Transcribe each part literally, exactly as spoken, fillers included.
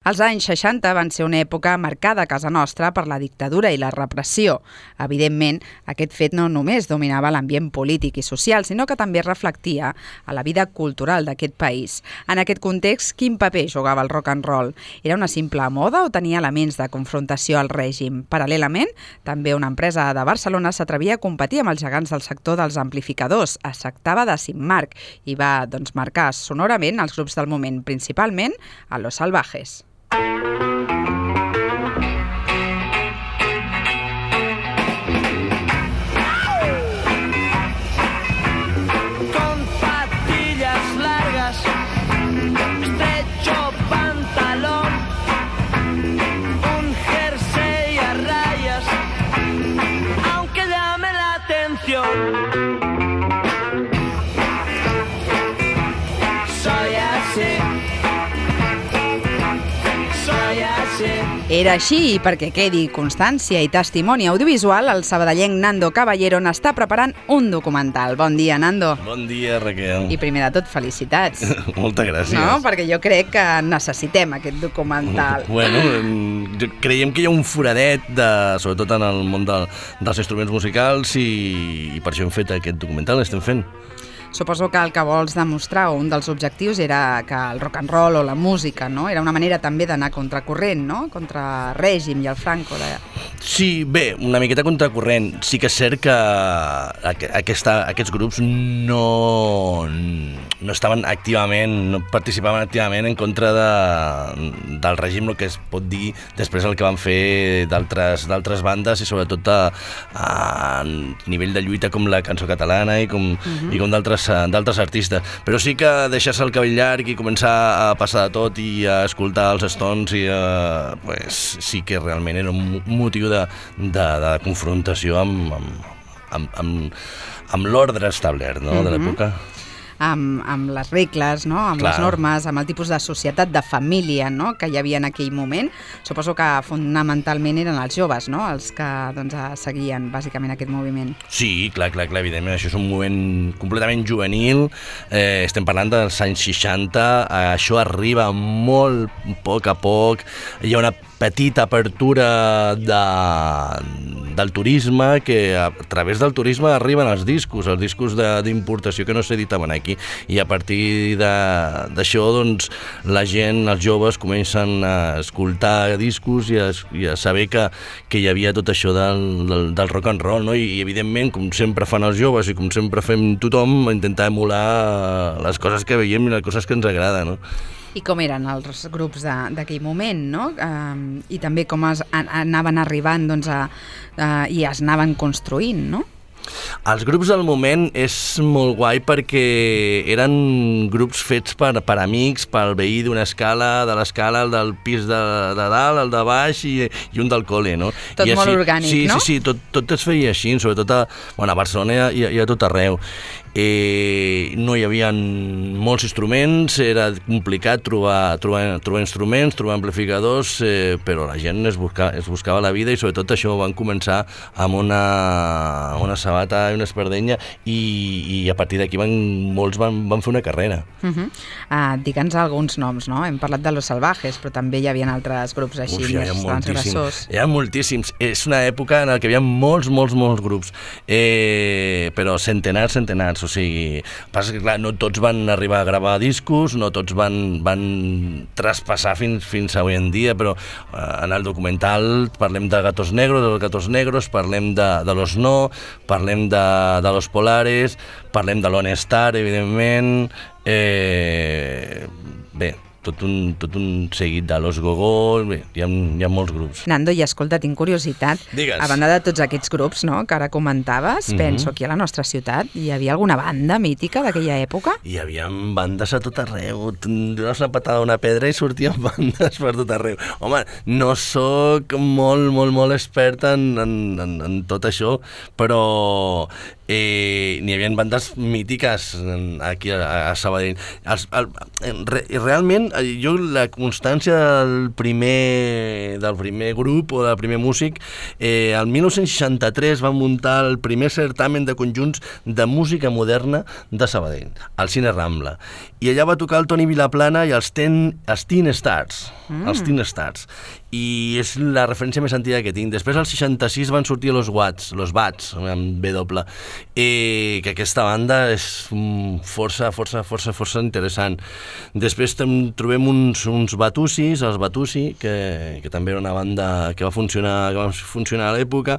Els anys seixanta van ser una època marcada a casa nostra per la dictadura i la repressió. Evidentment, aquest fet no només dominava l'ambient polític i social, sinó que també reflectia a la vida cultural d'aquest país. En aquest context, quin paper jugava el rock and roll? Era una simple moda o tenia elements de confrontació al règim? Paral·lelament, també una empresa de Barcelona s'atrevia a competir amb els gegants del sector dels amplificadors. Es tractava de Simmarc i va doncs, marcar sonorament els grups del moment, principalment a Los Salvajes. Con patillas largas, estrecho pantalón, un jersey a rayas, aunque llame la atención. Soy así. Era així i perquè quedi constància i testimoni audiovisual, el sabadellenc Nando Caballero n'està preparant un documental. Bon dia, Nando. Bon dia, Raquel. I primer de tot, felicitats. Moltes gràcies. No? Perquè jo crec que necessitem aquest documental. Bueno, creiem que hi ha un foradet, de, sobretot en el món de, dels instruments musicals, i, i per això hem fet aquest documental, l'estem fent. Suposo que el que vols demostrar, o un dels objectius, era que el rock and roll o la música, no? Era una manera també d'anar contracorrent, no? Contra el règim i el Franco. De... Sí, bé, una miqueta contracorrent. Sí que és cert que aquesta, aquests grups no, no estaven activament, no participaven activament en contra de, del règim, el que es pot dir després el que van fer d'altres d'altres bandes i sobretot a, a nivell de lluita com la cançó catalana i com, uh-huh. i com d'altres d'altres artistes, però sí que deixar-se el cabell llarg i començar a passar de tot i a escoltar els Stones i a, pues, sí que realment era un motiu de, de, de confrontació amb, amb, amb, amb, amb l'ordre establert, no? Mm-hmm. de l'època. Amb, amb les regles, no? Amb Clar. les normes, amb el tipus de societat, de família, no? que hi havia en aquell moment. Suposo que fonamentalment eren els joves, no? els que doncs, seguien bàsicament aquest moviment. Sí, clar, clar, clar, evidentment. Això és un moment completament juvenil. Eh, estem parlant dels anys seixanta. Això arriba molt a poc a poc. Hi ha una petita apertura de, del turisme, que a través del turisme arriben els discos, els discos d'importació que no s'editaven aquí, i a partir d'això doncs, la gent, els joves, comencen a escoltar discos i a, i a saber que, que hi havia tot això del, del, del rock and roll, no? I, i evidentment, com sempre fan els joves i com sempre fem tothom, intentar emular les coses que veiem i les coses que ens agraden, no? I com eren els grups d'aquell moment, no? Uh, I també com es, anaven arribant doncs, a, uh, i es anaven construint, no? Els grups del moment és molt guai perquè eren grups fets per, per amics, pel veí d'una escala, de l'escala, el del pis de, de dalt, el de baix i, i un del col·le, no? Tot I molt així, orgànic, sí, no? Sí, sí, tot, tot es feia així, sobretot a, bueno, a Barcelona i a, i a tot arreu. Eh, no hi havia molts instruments, era complicat trobar, trobar, trobar instruments, trobar amplificadors, eh, però la gent es buscava, es buscava la vida i sobretot això van començar amb una, una sabata i una espardenya i, i a partir d'aquí van, molts van, van fer una carrera. Uh-huh. uh, Digue'ns alguns noms, no? Hem parlat de Los Salvajes, però també hi havia altres grups així, Uf, més transgressors. Hi ha moltíssims. És una època en què hi havia molts, molts, molts grups, eh, però centenars, centenars. O sigui, passa que clar, no tots van arribar a gravar discos, no tots van, van traspassar fins, fins avui en dia, però eh, en el documental parlem de Gatos Negros, de los Gatos Negros, parlem de, de Los No, parlem de, de Los Polares, parlem de Lone Star, evidentment, eh, bé, tot un, tot un seguit de Los Gogó, bé, hi ha, hi ha molts grups. Nando, i escolta, tinc curiositat. Digues. A banda de tots aquests grups, no?, que ara comentaves, mm-hmm. penso que a la nostra ciutat hi havia alguna banda mítica d'aquella època? Hi havia bandes a tot arreu. Dones una patada a una pedra i sortien bandes per tot arreu. Home, no sóc molt, molt, molt expert en, en, en, en tot això, però eh, n'hi havia bandes mítiques aquí a, a Sabadell. Els, el, re, realment, jo la constància del primer, del primer grup o del primer músic, eh, el dinou seixanta-tres van muntar el primer certamen de conjunts de música moderna de Sabadell, al Cine Rambla. I allà va tocar el Toni Vilaplana i els, ten, els Teen Stars, mm. els Teen Stars. I és la referència més antiga que tinc. Després, al seixanta-sis, van sortir los Watts, los Bats, amb B doble, eh, que aquesta banda és força, força, força, força interessant. Després trobem uns, uns Batussis, els Batussi, que, que també era una banda que va funcionar, que va funcionar a l'època.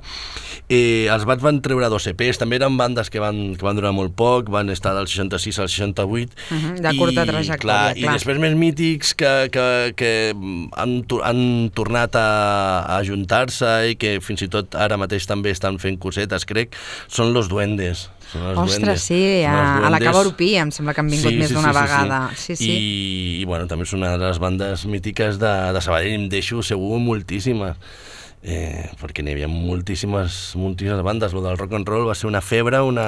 Eh, els Bats van treure dos E Pes, també eren bandes que van, que van durar molt poc, van estar del seixanta-sis al seixanta-vuit. Uh-huh, de curta trajectòria, clar. I després més mítics que, que, que han, han tornat a, a ajuntar-se i que fins i tot ara mateix també estan fent cosetes, crec, són los Duendes. Ostres, duendes. Sí, a, a la Cava Urpí em sembla que han vingut sí, més sí, d'una sí, vegada. Sí, sí. I, i bueno, també és una de les bandes mítiques de, de Sabadell, em deixo segur moltíssimes. Eh, perquè n'hi havia moltíssimes, moltíssimes bandes. Lo del rock and roll va ser una febre, una,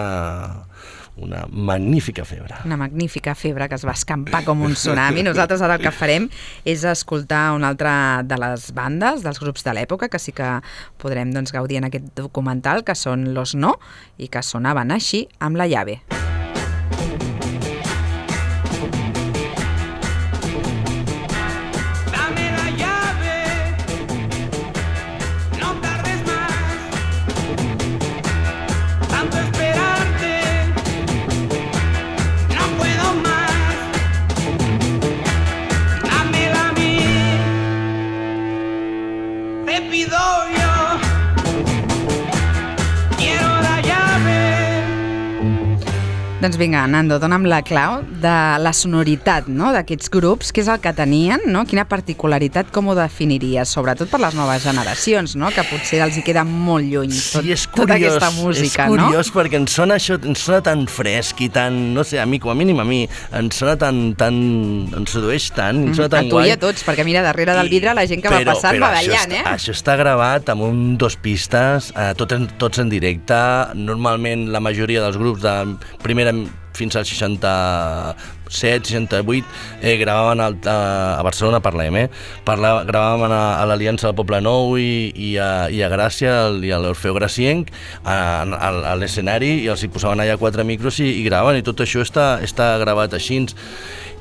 una magnífica febre. Una magnífica febre que es va escampar com un tsunami. Nosaltres ara el que farem és escoltar una altra de les bandes, dels grups de l'època, que sí que podrem doncs, gaudir en aquest documental, que són Los No, i que sonaven així amb La Llave. Doncs vinga, Nando, dona'm la clau de la sonoritat, no?, d'aquests grups, què és el que tenien, no? Quina particularitat, com ho definiries? Sobretot per les noves generacions, no?, que potser els hi queda molt lluny tot, sí, és curiós, tota aquesta música, no? És curiós, no? perquè ens sona això, ens sona tan fresc i tan, no sé, a mi, com a mínim a mi, ens sona tan, tan, ens sedueix tant, ens sona tan guai. A tu i a tots, perquè mira, darrere del vidre la gent que però, va passant però va ballant, eh? Això està gravat amb un dos pistes, eh, tots, en, tots en directe, normalment la majoria dels grups de primera fins al seixanta-set, seixanta-vuit, eh, gravaven al, a, a Barcelona, parlem, eh? Parla, gravaven a, a l'Aliança del Poble Nou i, i, a, i a Gràcia el, i a l'Orfeu Gracienc a, a, a l'escenari, i els hi posaven allà quatre micros i, i gravaven, i tot això està, està gravat així.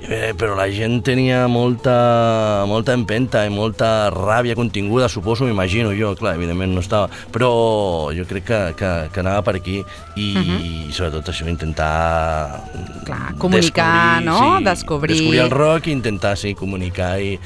Eh, però la gent tenia molta, molta empenta i molta ràbia continguda, suposo, m'imagino jo, clar, evidentment no estava, però jo crec que, que, que anava per aquí i, uh-huh. i sobretot això, intentar clar, comunicar, descobrir, no? Sí, descobrir... descobrir el rock i intentar, sí, comunicar i,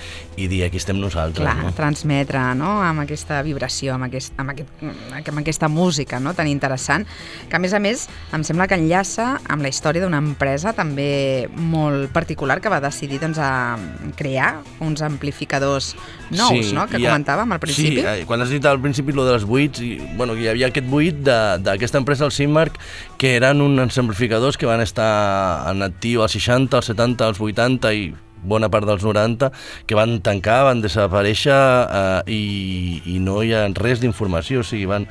i dir aquí estem nosaltres. Clar, no? transmetre, no?, amb aquesta vibració, amb, aquest, amb, aquest, amb aquesta música, no?, tan interessant, que a més a més em sembla que enllaça amb la història d'una empresa també molt particular que va decidir doncs, a crear uns amplificadors nous, sí, no?, que ha, comentàvem al principi. Sí, quan has dit al principi lo dels buits, i, bueno, hi havia aquest buit d'aquesta empresa, el Simmark, que eren uns amplificadors que van estar en actiu als seixanta, als setanta, als vuitanta i bona part dels noranta, que van tancar, van desaparèixer eh, i, i no hi ha res d'informació, o sigui, van...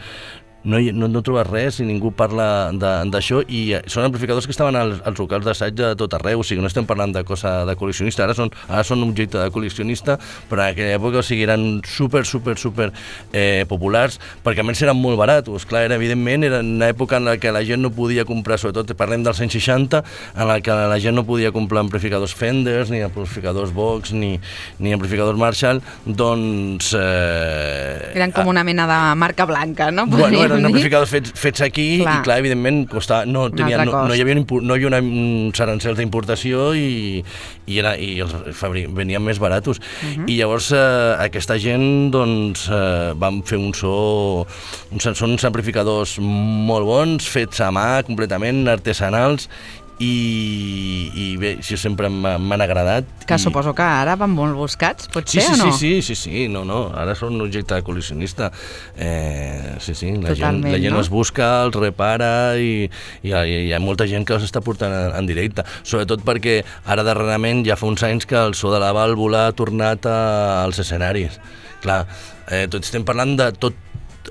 No, no, no trobes res i ningú parla d'això, i són amplificadors que estaven als, als locals d'assaig de tot arreu, o sigui, no estem parlant de cosa de col·leccionista, ara són, ara són un objecte de col·leccionista, però en aquella època, o sigui, eren super, super, super eh, populars, perquè a més eren molt baratos, clar, era, evidentment, era una època en la que la gent no podia comprar, sobretot parlem dels anys seixanta, en la que la gent no podia comprar amplificadors Fenders, ni amplificadors Vox, ni, ni amplificadors Marshall, doncs... Eh, eren com una mena de marca blanca, no? Bueno, eren amplificadors fets, fets aquí, clar. I clar, evidentment costava, no, tenia, no, no hi havia, no hi havia uns arancels d'importació i, i, era, i els fabri, venien més baratos. Uh-huh. I llavors eh, aquesta gent doncs, eh, van fer un so, un, són uns amplificadors molt bons, fets a mà, completament artesanals, i, i bé, això sempre m'han agradat. Que i... suposo que ara van molt buscats, potser, sí, sí, o no? Sí, sí, sí, sí, no, no, ara són un objecte de col·leccionista. Eh, sí, sí, la Totalment, gent, la gent no? els busca, els repara i, i, i hi ha molta gent que els està portant en, en directe, sobretot perquè ara darrerament ja fa uns anys que el so de la vàlvula ha tornat a, als escenaris. Clar, eh, tot estem parlant de tot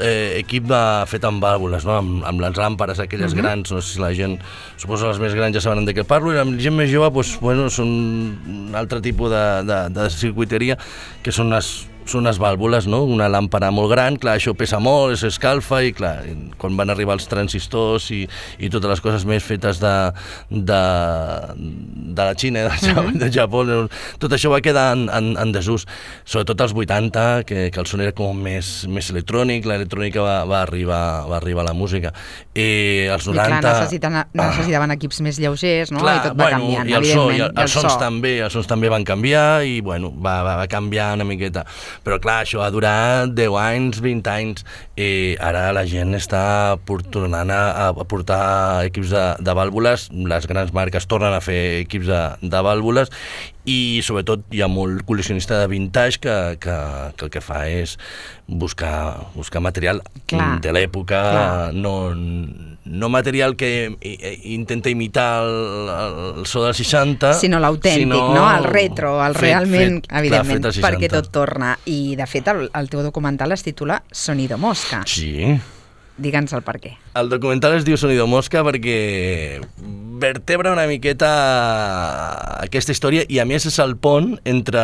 eh, equip de, fet amb vàlvules, no? amb, amb les làmperes aquelles uh-huh. grans, no sé si la gent, suposo les més grans ja saben de què parlo, i la gent més jove doncs, bueno, són un altre tipus de, de, de circuiteria, que són les són unes vàlvules, no? Una làmpara molt gran, clar, això pesa molt, s'escalfa i clar, quan van arribar els transistors i, i totes les coses més fetes de, de, de la Xina, del Japó, uh-huh. del Japó, tot això va quedar en, en, en desús, sobretot als vuitanta, que, que el son era com més, més electrònic, l'electrònica va, va, arribar, va arribar a la música. I als noranta... I clar, necessiten, necessitaven equips més lleugers, no? Clar, I tot va bueno, canviant, i el so, evidentment. I el, els sons també, els sons també van canviar i bueno, va, va, va canviar una miqueta. Però clar, això va durar deu anys, vint anys, i ara la gent està tornant a, a portar equips de, de vàlvules, les grans marques tornen a fer equips de, de vàlvules, i sobretot hi ha molt col·leccionista de vintage que, que, que el que fa és buscar, buscar material clar, de l'època, no, no material que intenta imitar el, el so dels seixanta, sinó l'autèntic, sinó no? El retro, el fet, realment, fet, evidentment, clar, perquè tot torna. I, de fet, el, el teu documental es titula Sonido Mosca. Sí. Digue'ns el per què. El documental es diu Sonido Mosca perquè vertebra una miqueta aquesta història i a més és el pont entre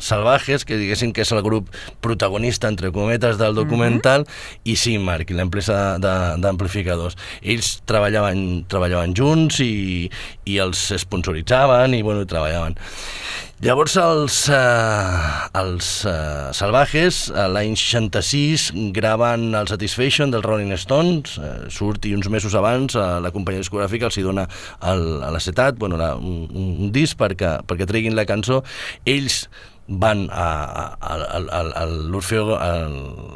Salvajes, que diguéssim que és el grup protagonista, entre cometes, del documental, uh-huh. i Simmark, l'empresa d'amplificadors. Ells treballaven, treballaven junts i, i els sponsoritzaven i bueno, treballaven. Llavors els, eh, els eh, Salvajes l'any seixanta-sis graven el Satisfaction dels Rolling Stones, eh, surt i uns mesos abans eh, la companyia discogràfica els hi dona l'acetat, bueno, la, un, un disc perquè, perquè treguin la cançó. Ells van a, a, a, a, a l'Orfeo, a,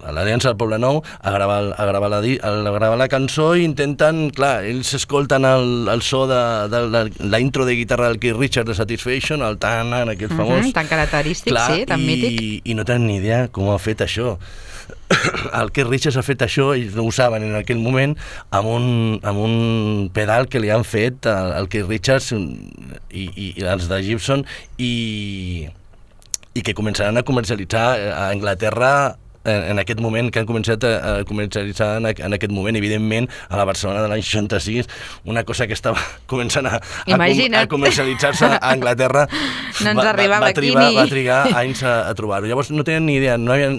a l'Aliança del Poble Nou a gravar, a, gravar la, a gravar la cançó i intenten, clar, ells escolten el, el so de, de la, la intro de guitarra del Keith Richards de Satisfaction, el tan, aquest uh-huh, famós, tan característic, clar, sí, tan i, mític, i no tenen ni idea com ha fet això. El Keith Richards ha fet això, ells no ho saben en aquell moment, amb un, amb un pedal que li han fet al, al Keith Richards i, i, i els de Gibson i i que començaran a comercialitzar a Anglaterra en, en aquest moment, que han començat a, a comercialitzar en, en aquest moment, evidentment, a la Barcelona de l'any seixanta-sis, una cosa que estava començant a, a, com, a comercialitzar-se a Anglaterra, no ens arribava va, va, trigar, aquí ni... va trigar anys a, a trobar-ho. Llavors no tenen ni idea, no havien,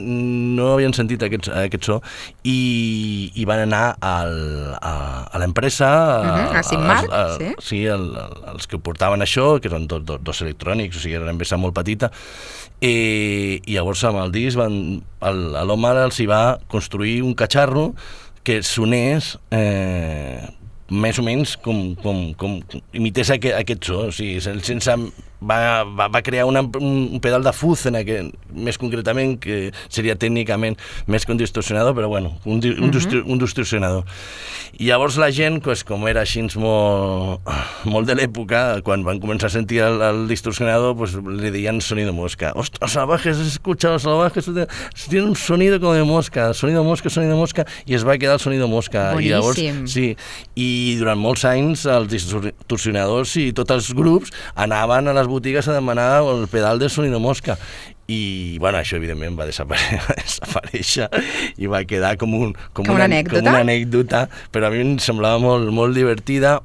no havien sentit aquest, aquest so i, i van anar al, a, a l'empresa, uh-huh, a Simmark, sí, sí el, els que portaven això, que eren dos, dos, dos electrònics, o sigui, era una empresa molt petita, i, i llavors amb el disc van, el, l'home els hi va construir un catxarro que sonés eh, més o menys com, com, com imités aquest, aquest so, o sigui, sense... Va, va, va crear una, un pedal de fuzz en aquest, més concretament, que seria tècnicament més que un distorsionador, però bueno, un, un, uh-huh. un distorsionador. I llavors la gent, pues, com era així molt, molt de l'època, quan van començar a sentir el, el distorsionador, pues, li deien sonido mosca. Ostras, Salvajes, has escuchado Salvajes, tiene un sonido como de mosca, sonido mosca, sonido mosca, i es va quedar el sonido mosca. Boníssim. I llavors, sí, i durant molts anys els distorsionadors i tots els grups anaven a les botigues a demanar el pedal de sonido mosca i bueno, això evidentment va desaparèixer, va desaparèixer i va quedar com, un, com, com, una, una, anècdota? com una anècdota, però a mi em semblava molt, molt divertida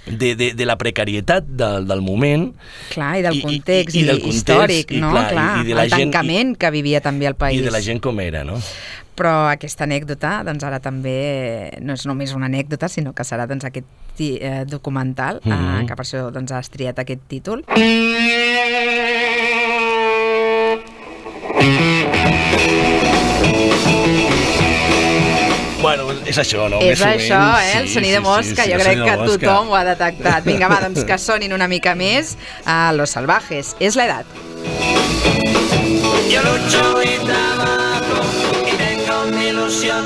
de, de, de la precarietat del, del moment. Clar, i del context i, i, i del context, històric, i, no? clar, clar, i de la el gent, tancament i, que vivia també el país. I de la gent com era, no? Però aquesta anècdota, doncs ara també no és només una anècdota, sinó que serà doncs, aquest eh, documental, mm-hmm. eh, que per això doncs, has triat aquest títol. Bueno, és això, no? És Més això, menys, eh? El sí, sonido sí, mosca, sí, sí, jo crec que mosca. Tothom ho ha detectat. Vinga, va, doncs que sonin una mica més a Los Salvajes. És l'edat. Yo lucho y trabajo y tengo mi ilusión,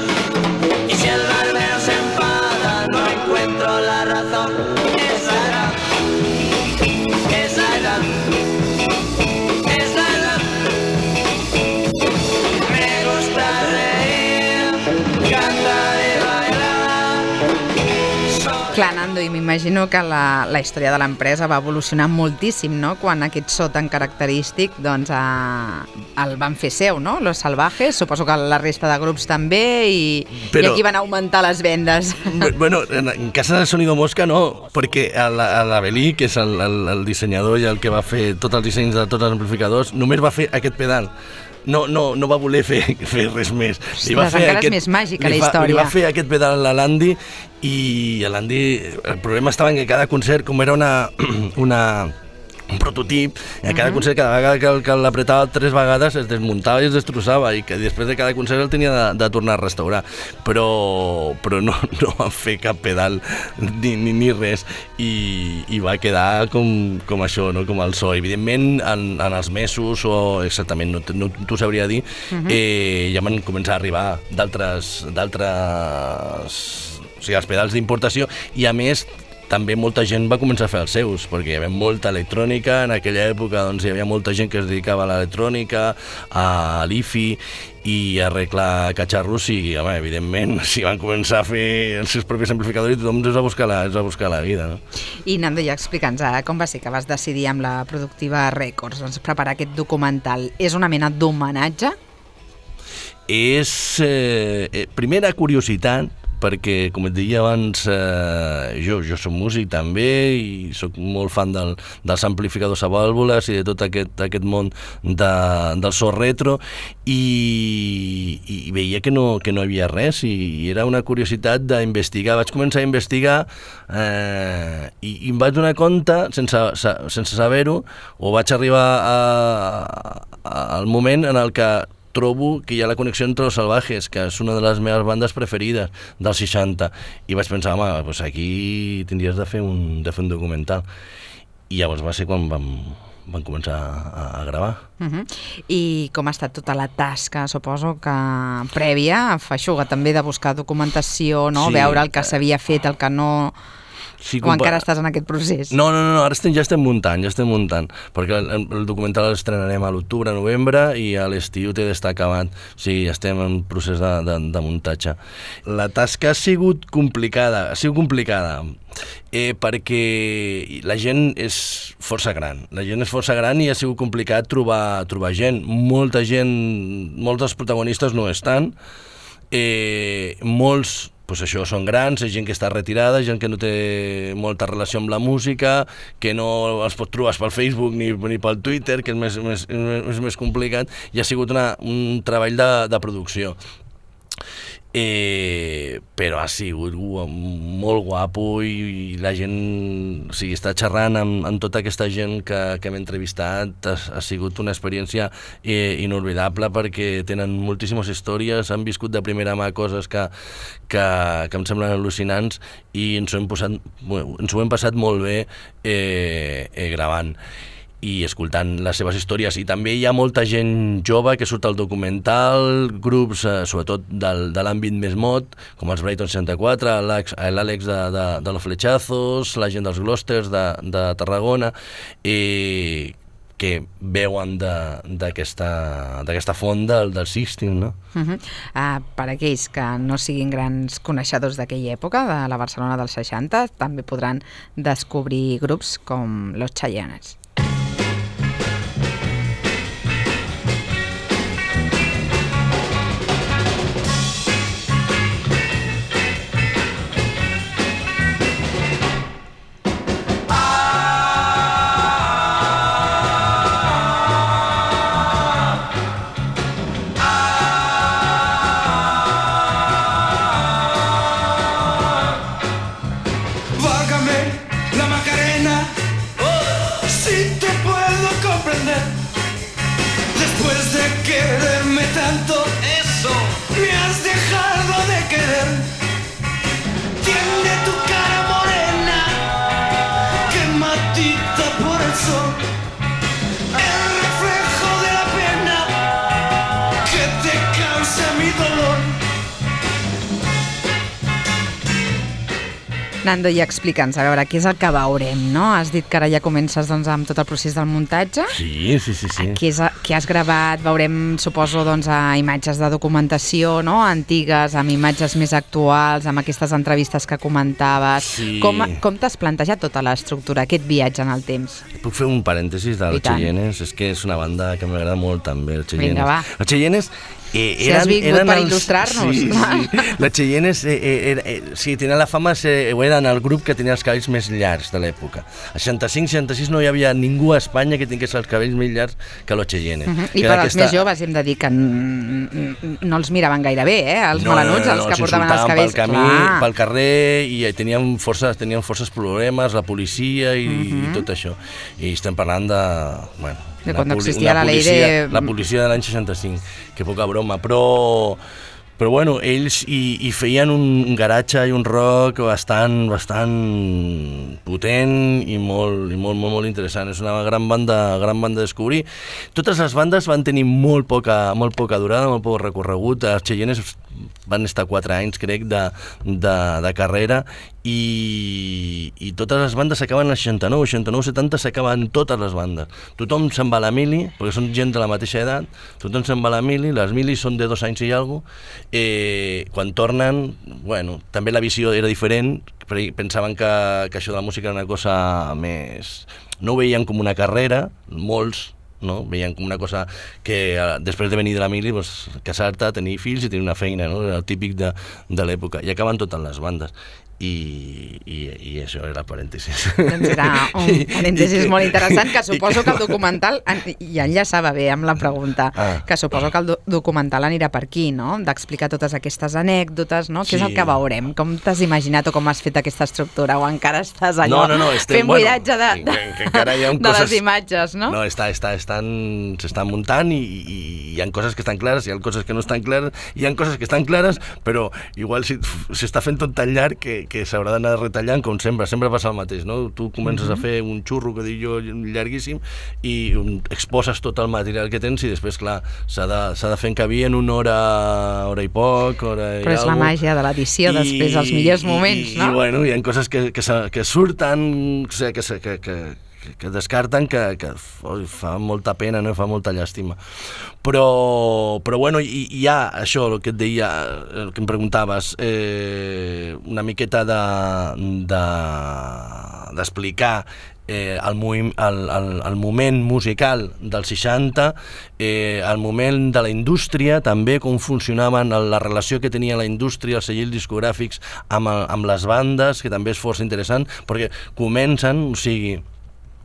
y si el barbero se enfada no encuentro la razón. Esa edad, esa edad, esa edad. Me gusta reír, cantar y bailar. Soy Clar, Nando, i m'imagino que la, la història de l'empresa va evolucionar moltíssim, no?, quan aquest so tan característic doncs, a, el van fer seu, no?, Los Salvajes, suposo que la resta de grups també, i, Però, i aquí van augmentar les vendes. Bueno, en, en casa de Sonido Mosca no, perquè l'Avelí, que és el, el, el dissenyador i el que va fer tots els dissenys de tots els amplificadors, només va fer aquest pedal. No, no, no va voler fer, fer res més. Li va fer encara aquest, és més màgica la història. Li va fer aquest pedal a l'Andy i a l'Andy el problema estava en que cada concert, com era una, una, un prototip, i a cada uh-huh. concert, cada vegada que, que l'apretava tres vegades es desmuntava i es destrossava i que després de cada concert el tenia de, de tornar a restaurar. Però, però no, no van fer cap pedal ni, ni, ni res i, i va quedar com, com això, no? Com el so. Evidentment, en, en els mesos, o exactament, no, no t'ho sabria dir, uh-huh. eh, ja van començar a arribar d'altres, d'altres, o sigui, els pedals d'importació, i a més també molta gent va començar a fer els seus, perquè hi havia molta electrònica, en aquella època doncs, hi havia molta gent que es dedicava a l'electrònica, a l'I-Fi i a arreglar catxarros, i home, evidentment si van començar a fer els seus propis amplificadors i tothom es va buscar la, es va buscar la vida. No? I Nando, ja explica'ns, eh, com va ser que vas decidir amb la Productiva Records doncs, preparar aquest documental? És una mena d'homenatge? És, eh, primera curiositat, perquè, com et deia abans, eh, jo, jo soc músic també i soc molt fan del, dels amplificadors a vàlvules i de tot aquest, aquest món de, del so retro, i, i veia que no, que no hi havia res, i, i era una curiositat d'investigar. Vaig començar a investigar eh, i, i em vaig donar compte, sense, sense saber-ho, o vaig arribar a, a, al moment en el que trobo que hi ha la connexió entre Los Salvajes, que és una de les meves bandes preferides dels seixanta, i vaig pensar, home, doncs aquí tindries de fer un, de fer un documental. I llavors va ser quan vam, vam començar a, a gravar. Uh-huh. I com ha estat tota la tasca, suposo que prèvia, feixuga també de buscar documentació, no? Sí. Veure el que s'havia fet, el que no... Sí, o encara estàs en aquest procés? No, no, no, ara estem, ja estem muntant, ja estem muntant, perquè el, el documental l'estrenarem a l'octubre, novembre, i a l'estiu té d'estar acabat. O sigui, estem en procés de, de, de muntatge. La tasca ha sigut complicada, ha sigut complicada, eh, perquè la gent és força gran, la gent és força gran i ha sigut complicat trobar, trobar gent. Molta gent, molts dels protagonistes no estan, eh, molts pues això, són grans, és gent que està retirada, gent que no té molta relació amb la música, que no els pot trobar pel Facebook ni, ni pel Twitter, que és més, més, és més complicat, i ha sigut una, un treball de, de producció. Eh, però ha sigut uh, molt guapo, i, i la gent, o sigui, està xerrant amb, amb tota aquesta gent que, que hem entrevistat. Ha, ha sigut una experiència eh, inolvidable, perquè tenen moltíssimes històries, han viscut de primera mà coses que, que, que em semblen al·lucinants, i ens ho hem, posat, ens ho hem passat molt bé eh, eh, gravant i escoltant les seves històries. I també hi ha molta gent jove que surt al documental, grups eh, sobretot del, de l'àmbit més mod, com els Brighton seixanta-quatre, l'Àlex de, de, de los Flechazos, la gent dels Glosters de, de Tarragona, eh, que veuen d'aquesta font del, del Sixteen, no? Uh-huh. uh, per aquells que no siguin grans coneixedors d'aquella època, de la Barcelona dels seixanta, també podran descobrir grups com Los Chayannes. La Macarena, oh, sí. Nando, i explica'ns, a veure, què és el que veurem, no? Has dit que ara ja comences doncs, amb tot el procés del muntatge. Sí, sí, sí. sí. Què, és, què has gravat? Veurem, suposo, doncs, a imatges de documentació, no?, antigues, amb imatges més actuals, amb aquestes entrevistes que comentaves. Sí. Com, com t'has plantejat tota l'estructura, aquest viatge en el temps? Puc fer un parèntesis de los Cheyennes? És que és una banda que m'agrada molt també, els Cheyennes. Vinga, va. Els Cheyennes... Eh, si has vingut per il·lustrar-nos. Sí, sí. Les Cheyennes, eh, eh, eh, sí, tenen la fama, eh, eren el grup que tenia els cabells més llargs de l'època. A seixanta-cinc seixanta-sis no hi havia ningú a Espanya que tingués els cabells més llargs que los Cheyennes. Uh -huh. I per als més joves hem de dir que no els miraven gaire bé, eh? Els no, melanuts, els no, no, que portaven els cabells. Pel camí, clar. Pel carrer, i tenien forces, tenien forces problemes, la policia i, uh -huh. i tot això. I estem parlant de... Bueno, de quan existia la llei de... La policia de l'any seixanta-cinc, que poca broma, però... Però bueno, ells hi, hi feien un garatge i un rock bastant, bastant potent i molt, i molt, molt, molt interessant. És una gran banda, gran banda a descobrir. Totes les bandes van tenir molt poca, molt poca durada, molt poc recorregut. Els Cheyennes van estar quatre anys, crec, de, de, de carrera, i, i totes les bandes s'acaben al seixanta-nou, seixanta-nou, setanta s'acaben totes les bandes. Tothom se'n va a la mili, perquè són gent de la mateixa edat, tothom se'n va a la mili, les milis són de dos anys i alguna cosa. Eh, quan tornen, bueno, també la visió era diferent, pensaven que, que això de la música era una cosa més... No ho veien com una carrera, molts, no? Veien com una cosa que eh, després de venir de la mili, pues, casar-te, tenir fills i tenir una feina, no? Era el típic de, de l'època, i acaben totes les bandes. I, i, i això era parèntesis. Doncs era un parèntesis molt interessant, que suposo que el documental, i enllaçava bé amb la pregunta, ah. que suposo que el do documental anirà per aquí, no? D'explicar totes aquestes anècdotes, no? Sí. Què és el que veurem? Com t'has imaginat o com has fet aquesta estructura? O encara estàs allò no, no, no, estem, fent bueno, buidatge de, de, que, que encara hi ha de coses, les imatges, no? No, està, està, estan, s'estan muntant i, i, i hi ha coses que estan clares, hi ha coses que no estan clares, hi ha coses que estan clares, però igual s'està fent tot tan llarg que que s'haurà d'anar retallant, com sempre, sempre passa el mateix, no? Tu comences uh -huh. a fer un xurro, que dic jo, llarguíssim, i un, exposes tot el material que tens i després, clar, s'ha de, s'ha de fer encabir en una hora, hora i poc, hora i Però és algo. La màgia de l'edició, després, els millors moments, i, no? I, bueno, hi ha coses que, que, que surten, que, que, que, que que descarten, que, que oi, fa molta pena, no? Fa molta llàstima. Però, però bueno, hi, hi ha això, el que et deia, el que em preguntaves, eh, una miqueta de, de, d'explicar eh, el, el, el, el moment musical dels seixanta, eh, el moment de la indústria, també com funcionaven, la relació que tenia la indústria, els segells discogràfics amb, el, amb les bandes, que també és força interessant, perquè comencen, o sigui,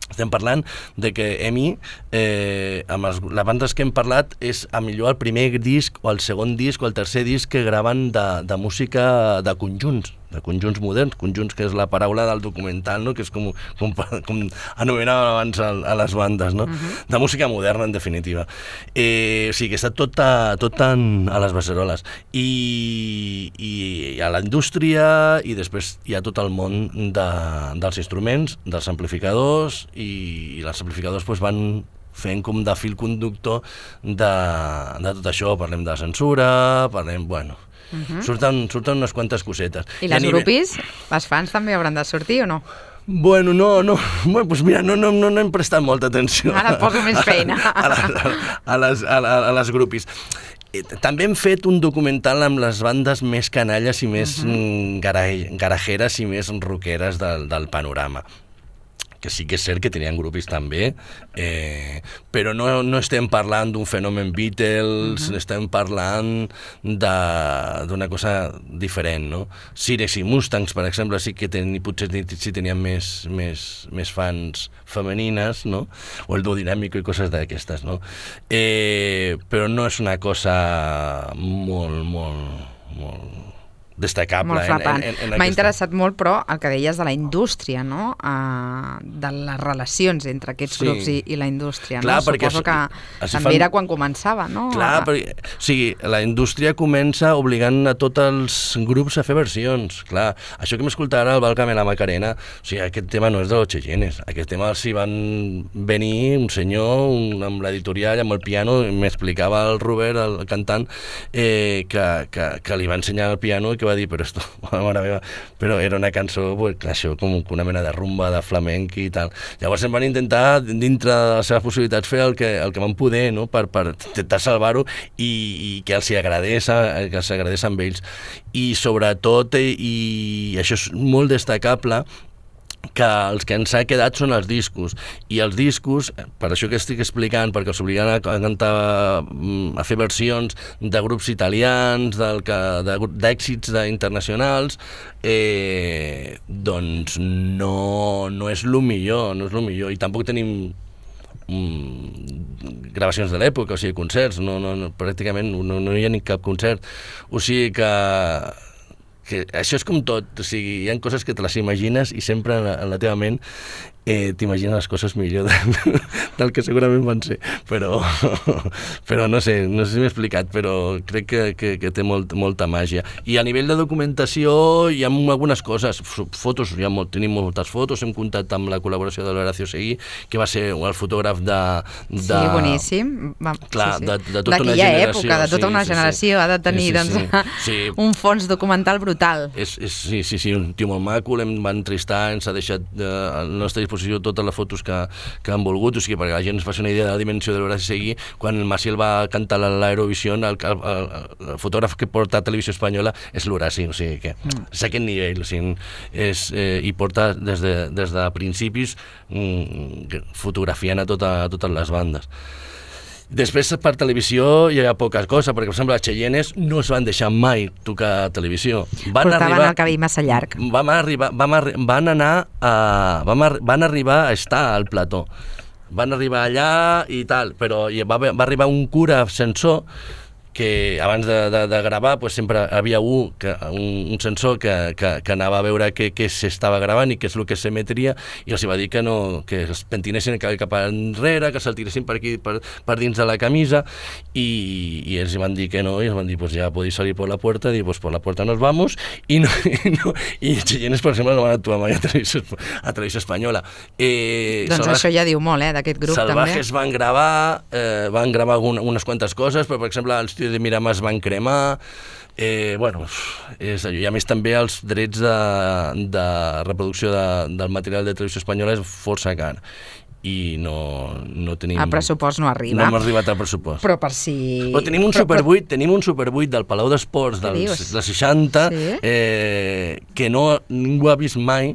estem parlant de que Emi, eh, amb els, les bandes que hem parlat, és a millor el primer disc o el segon disc o el tercer disc que graven de, de música de conjunts, de conjunts moderns, conjunts que és la paraula del documental, no? Que és com, com, com anomenàvem abans a, a les bandes, no? Uh-huh. De música moderna, en definitiva. Eh, o sigui, que està tot a, tot en, a les beceroles. I, i a la indústria, i després hi ha tot el món de, dels instruments, dels amplificadors, i, i els amplificadors pues, van fent com de fil conductor de, de tot això. Parlem de censura, parlem, bueno... Uh-huh. surten, surten unes quantes cosetes. I les nivell... grupis? Les fans també hauran de sortir o no? Bueno, no, no, bueno, pues mira, no, no, no, no hem prestat molta atenció. Ara et poso més feina. A, a, a, les, a, a les grupis. També hem fet un documental amb les bandes més canalles i més uh-huh. garajeres i més rockeres del, del panorama. Que sí que és cert que tenien grupis també, eh, però no, no estem parlant d'un fenomen Beatles, uh-huh. estem parlant d'una cosa diferent, no? Sirex i Mustangs, per exemple, sí que ten, potser sí tenien més, més, més fans femenines, no? O el Duo Dinàmico i coses d'aquestes, no? Eh, però no és una cosa molt, molt, molt... destacable. Molt frapant. M'ha aquesta... interessat molt, però, el que deies de la indústria, no? Uh, de les relacions entre aquests sí. grups i, i la indústria. Clar, no? perquè Suposo que també fan... era quan començava, no? Clar, a... perquè, o sigui, la indústria comença obligant a tots els grups a fer versions. Clar, això que m'escolta ara el Valcame la Macarena, o sigui, aquest tema no és de los Cheyennes. Aquest tema s'hi van venir un senyor un, amb l'editorial, amb el piano, m'explicava el Robert, el cantant, eh, que, que, que li va ensenyar el piano i que que va dir, però esto, mare meva, però era una cançó, pues, això, com una mena de rumba, de flamenc i tal. Llavors em van intentar, dintre de les seves possibilitats, fer el que, el que van poder, no?, per, per intentar salvar-ho i, i que els hi agradés, que els agradés amb ells. I sobretot, i això és molt destacable, que els que ens ha quedat són els discos, i els discos, per això que estic explicant, perquè els obliguen a cantar, a fer versions de grups italians, d'èxits internacionals, eh, doncs no, no és el millor, no és el millor, i tampoc tenim mm, gravacions de l'època, o sigui, concerts, no, no, no, pràcticament no, no hi ha ni cap concert, o sigui que que això és com tot, o sigui, hi ha coses que te les imagines i sempre en la, en la teva ment eh, t'imagines les coses millor del, del que segurament van ser, però, però no sé, no sé si m'he explicat, però crec que, que, que té molt, molta màgia. I a nivell de documentació hi ha algunes coses, fotos, hi ha molt, tenim moltes fotos, hem comptat amb la col·laboració de l'Horacio Seguí, que va ser el fotògraf de... de sí, boníssim. Va, clar, sí, sí. de, de tota una D'aquella generació. època, de tota sí, una sí, generació, sí. ha de tenir sí, sí, doncs, sí. Sí. un fons documental brutal. És, és, sí, sí, sí, un tio molt maco, l'hem van entristar, ens ha deixat eh, a la nostra disposició totes les fotos que, que han volgut, o sigui, perquè la gent es faci una idea de la dimensió de l'Horaci Seguí, quan el Maciel va cantar a l'Eurovisió, el, el, el, el fotògraf que porta a Televisió Espanyola és l'Horaci, o sigui que mm. és aquest nivell, o sigui, és, eh, i porta des de, des de principis mm, fotografiant a, tota, a totes les bandes. Després, per televisió, hi ha poca cosa, perquè, per exemple, les Cheyennes no es van deixar mai tocar a televisió. Van Portaven arribar, el cabell massa llarg. Vam arribar, vam arri van anar a, vam ar van arribar a estar al plató. Van arribar allà i tal, però va, va arribar un cura censor que abans de, de, de gravar pues, sempre havia un, que, un, un sensor que, que, que anava a veure què, què s'estava gravant i què és el que s'emetria, i els va dir que no, que es pentinessin cap enrere, que se'l tiressin per aquí, per, per dins de la camisa, i, i ells van dir que no, i els van dir, pues ja podéis salir por la puerta, i pues por la puerta nos vamos, i no, i, no, i Cheyennes, per exemple, no van actuar mai a Televisió, a Televisió Espanyola. Eh, doncs Salvaje, això ja diu molt, eh, d'aquest grup, Salvajes també. Salvajes van gravar, eh, van gravar un, unes quantes coses, però, per exemple, els de Miramar es van cremar, eh, bueno, és allò. I a més també els drets de, de reproducció de, del material de Televisió Espanyola és força car i no, no tenim... El pressupost no arriba. No hem arribat al pressupost. Però per si... Però tenim un Super vuit, tenim un Super vuit del Palau d'Esports dels, dels seixanta, sí? eh, que no ningú ha vist mai,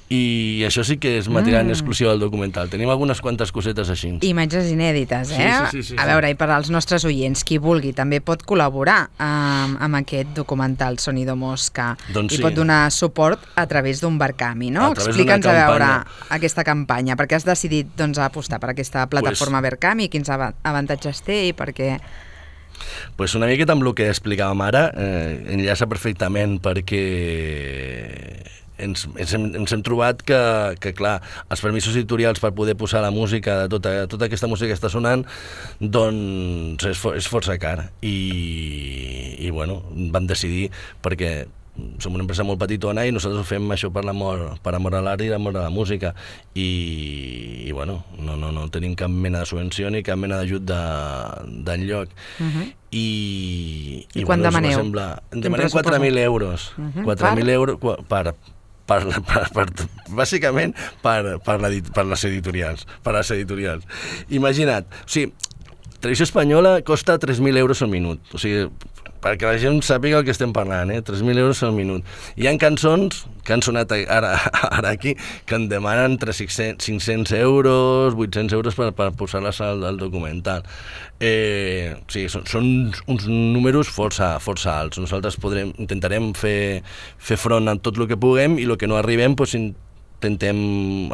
i això sí que és material mm. exclusiu del documental. Tenim algunes quantes cosetes així. Imatges inèdites, eh? Sí, sí, sí, sí, a veure, i per als nostres oients, qui vulgui, també pot col·laborar amb, amb aquest documental Sonido Mosca, doncs i sí. pot donar suport a través d'un Verkami, no? Explica'ns a veure aquesta campanya, perquè has decidit doncs, apostar per aquesta plataforma pues, Verkami, quins avantatges té i per què... Pues una miqueta amb el que explicàvem ara, eh, enllaça perfectament, perquè ens, ens, hem, ens hem trobat que, que, clar, els permisos editorials per poder posar la música, de tota, tota aquesta música que està sonant, doncs és, for, és força car. I, i bueno, vam decidir, perquè som una empresa molt petitona i nosaltres ho fem això per l'amor, per amor a l'art i l'amor a la música, i, i bueno, no, no, no tenim cap mena de subvenció ni cap mena d'ajut d'enlloc. Uh-huh. I, I, i quan bueno, demaneu? Sembla, demanem quatre mil euros. Uh-huh. quatre mil euros per... Per, per, per, bàsicament per, per, la, per les editorials, per les editorials. Imagina't, o sigui, Televisió Espanyola costa tres mil euros al minut, o sigui, perquè la gent sàpiga el que estem parlant, eh? tres mil euros al minut. Hi ha cançons que han sonat ara, ara aquí que en demanen entre cinc-cents euros, vuit-cents euros per, per posar-les al, al documental. Eh, o sigui, són, són uns números força, força alts. Nosaltres podrem, intentarem fer, fer front a tot el que puguem, i el que no arribem, doncs, intentem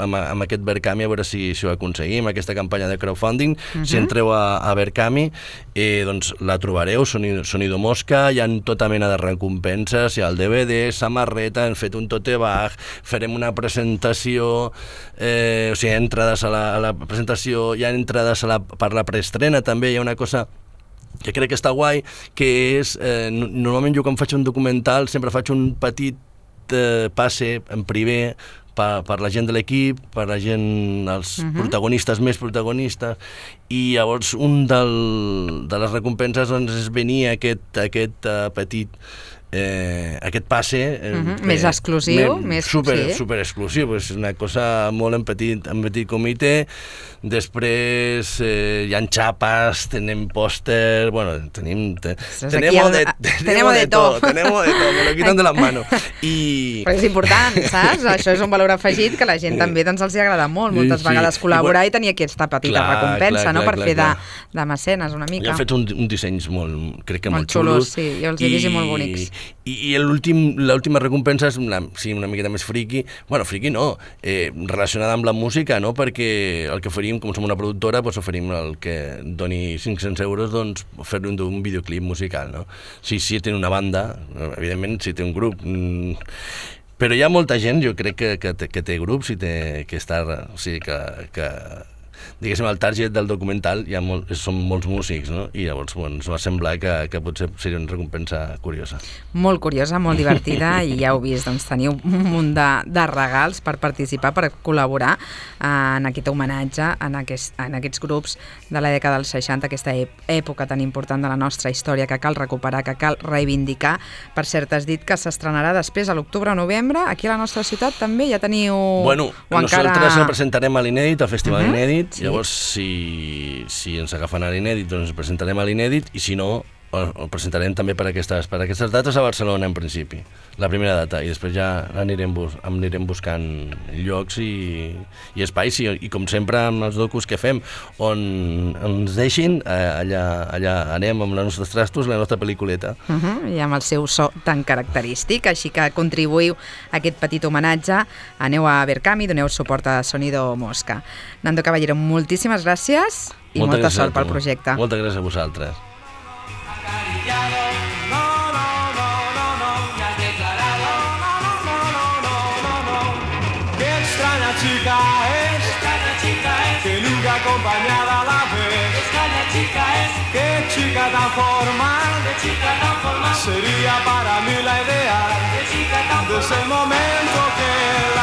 amb, amb aquest Verkami a veure si, si ho aconseguim, aquesta campanya de crowdfunding. Uh-huh. Si entreu a, a Verkami, eh, doncs la trobareu, Sonido, Sonido Mosca, hi ha tota mena de recompenses, hi ha el D V D, samarreta, hem fet un tote bag, farem una presentació, eh, o sigui, entrades a la, a la presentació, hi ha entrades a la, per la preestrena també, hi ha una cosa que crec que està guai, que és, eh, normalment jo quan faig un documental sempre faig un petit eh, passe en privé, Per, per la gent de l'equip, per la gent, els uh-huh. protagonistes més protagonistes, i llavors un del, de les recompenses doncs, és venir a aquest, aquest uh, petit eh, aquest passe... Eh, uh -huh. eh, més exclusiu. Me, més, super, sí. super exclusiu, és una cosa molt en petit, en petit comitè. Després eh, hi ha xapes, tenim pòster, bueno, tenim... Te, tenemos, de, tenemos de todo, tenemos de todo, me lo quitan de las manos. I... Però és important, saps? Això és un valor afegit que la gent també doncs, els hi agrada molt, moltes sí, vegades col·laborar i, i, i tenir aquesta petita clar, recompensa, clar, no?, clar, per clar, fer clar. de, de mecenes una mica. I han fet un, un dissenys molt, crec que molt, molt xulos. Sí, jo els he vist molt bonics. I, i l'última recompensa és una, sí, una miqueta més friqui, bueno, friqui no, eh, relacionada amb la música, no?, perquè el que faríem, com som una productora, doncs oferim el que doni cinc-cents euros, doncs fer-li un, un videoclip musical, no? Si, si té una banda, evidentment, si té un grup... Mmm, però hi ha molta gent, jo crec que, que, té, que té grups i té, que està... O sigui, que... que diguéssim, el target del documental hi ha molt, són molts músics, no? I llavors bueno, ens va semblar que, que potser seria una recompensa curiosa. Molt curiosa, molt divertida, i ja heu vist, doncs teniu un munt de, de regals per participar, per col·laborar eh, en aquest homenatge, en, aquest, en aquests grups de la dècada dels seixanta, aquesta època tan important de la nostra història que cal recuperar, que cal reivindicar. Per cert, has dit que s'estrenarà després, a l'octubre o novembre, aquí a la nostra ciutat també ja teniu... Bueno, nosaltres encara... el presentarem a l'Inèdit, al Festival uh -huh. Inèdit. Sí. Llavors, si, si ens agafen a l'Inèdit, doncs ens presentarem a l'Inèdit, i si no, el presentarem també per aquestes, per aquestes dates a Barcelona, en principi, la primera data, i després ja anirem, bus, anirem buscant llocs i, i espais, i, i com sempre amb els docus que fem, on ens deixin, allà, allà anem amb els nostres trastos, la nostra pel·lículeta. Uh -huh, I amb el seu so tan característic, així que contribuïu a aquest petit homenatge, aneu a Verkami, doneu suport a Sonido Mosca. Nando Caballero, moltíssimes gràcies i molta molta gràcies sort pel projecte. Moltes gràcies a vosaltres. No, no, no, no, no, me has declarado. No, no, no, no, no, no, no. Qué extraña chica es, extraña chica es, que nunca acompañada la ves. Extraña chica es, qué chica tan formal, qué chica tan formal, sería para mí la idea, qué chica tan formal, desde el momento que